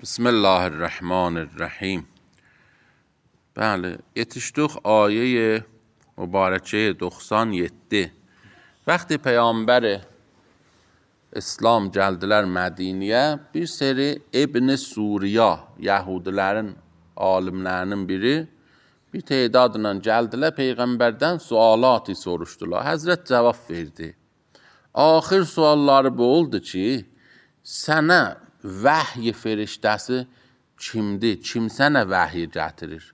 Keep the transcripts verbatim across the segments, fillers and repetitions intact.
بسم الله الرحمن الرحیم. بله، yetmiş dokuz آیه مبارکه doksan yedi. Vəqti Peyğəmbər İslam gəldilər Mədiniyə, bir seri İbn Suriya, Yahudilərin alimlərinin biri, bir tedadla gəldilər Peyğəmbərdən sualatı soruşdular. Həzrət cavab verdi. Axır sualları bu oldu ki, sənə vəhy feriştəsi kimdir? Kim sənə vəhy gətirir?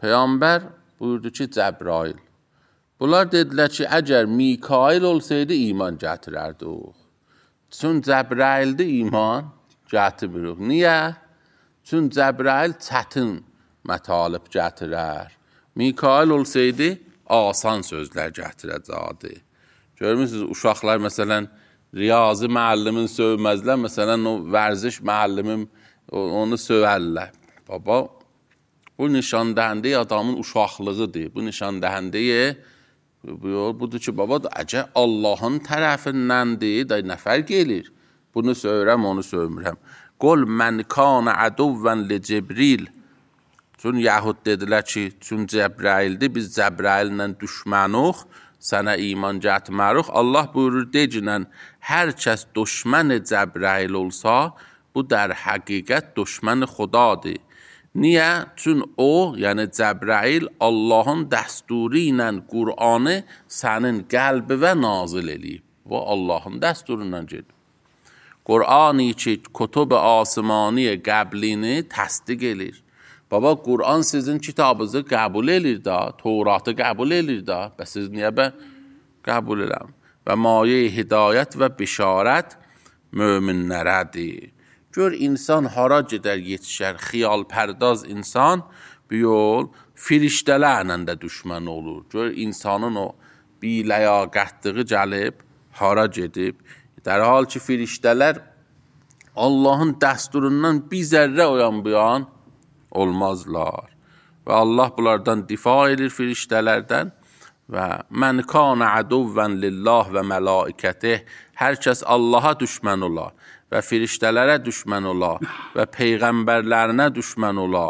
Peyğəmbər buyurdu ki, Cəbrail. Bunlar dedilər ki, əgər Mikail olsaydı iman gətirərdi o. Çün Cəbraildə iman gətirmirik. Niyə? Çün Cəbrail çətin mətalib gətirər. Mikail olsaydı asan sözlər gətirəcəkdi. Görmürsünüz, uşaqlar məsələn, riyazi müəllimin sövməzlər, məsələn, o vərziş müəllimin onu sövərlər. Baba, bu nişandəhəndə adamın uşaqlığıdır. Bu nişandəhəndə budur ki, baba, əgər Allahın tərəfindəndir, da nə fərq edir? Bunu söyrəm, onu sövmürəm. Qol mən kana əduvvən li Cibril. Çün Yahud dedilər ki, çün Cəbraildir, biz Cəbraillə düşmənuq, sənə iman gətirmərik. Allah buyurur, decinən, hər kəs düşmən Cəbrail olsa, bu در həqiqət düşmən xudadır. Niyə? Çün o, yəni Cəbrail, Allahın dəsturu ilə Qur'anı sənin qəlbivə nazil eləyib. Bu Allahın dəsturundan gedir. Qur'anı ki, kutub asmani qəblini təsdiq edir. Baba, Qur'an sizin kitabınızı qəbul edir da, Tevratı qəbul edir da, bəs siz niyə bə qəbul eləm? Və maye hidayət və bişarət möminlərədir. Gör, insan hara gedər yetişər, xiyal pərdaz insan bir yol firiştələrlə də düşmən olur. Gör, insanın o biləyaqətliği gəlib, hara gedib. Dər hal ki, firiştələr Allahın dəsturundan bir zərrə oyan bir an olmazlar. Və Allah bunlardan difa edir firiştələrdən. Və mən kana əduvvən lillah və mələikətih. Hər kəs Allaha düşmən ola və firiştələrə düşmən ola və peyğəmbərlərinə düşmən ola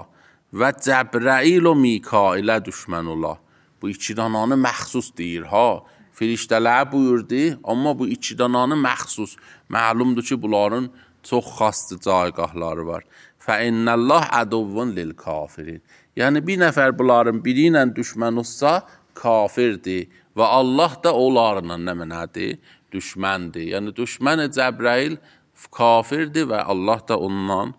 və Cəbrail o Mikailə düşmən ola. Bu iki dananı məxsus deyir, ha. Firiştələrə buyurdu, amma bu iki dananı məxsus. Məlumdur ki, bunların çox xastı caygahları var. Fəinnəllah əduvvun lil kafirin. Yəni, bir nəfər bunların biri ilə düşmən olsa, kafirdir və Allah da onlarla nə mənədir? Düşməndir. Yəni, düşmən Cəbrail kafirdir və Allah da ondan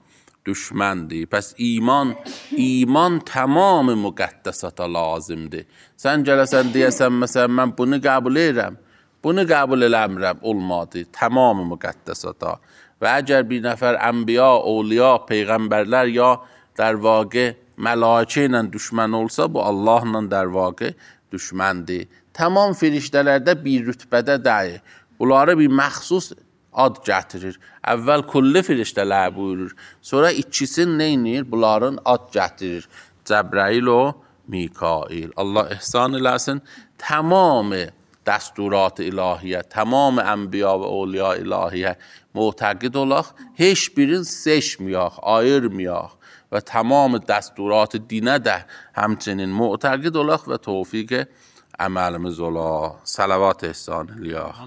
düşməndir. Pəs iman, iman tamamı müqəddəsata lazımdır. Sən gələsən deyəsən, məsələn, mən bunu qəbul edirəm, bunu qəbul eləmirəm, olmadı. Tamamı müqəddəsata. Və əgər bir nəfər ənbiya, awliya, peyğəmbərlər ya در واقع mələkə ilə düşmən olsa, bu Allahla در واقع düşməndir. Tamam firiştələrdə bir rütbədə deyil. Bunları bir məxsus ad gətirir. Əvvəl kulli firiştələr buyurur. Sonra ikisini neynir? Bunların ad gətirir. Cəbrail o Mikail. Allah ihsan eləsin. Tamamı dəsturat-ı ilahiyyə, tamamı ənbiya və awliya ilahiyyə mu'təqid olaq. Heç birini seçməyək, ayırmayaq. Və tamamı dəsturat-ı dinə də həmçinin mu'təqid olaq və tövfiq əməlimiz ola. Salavat ehsan eləyək.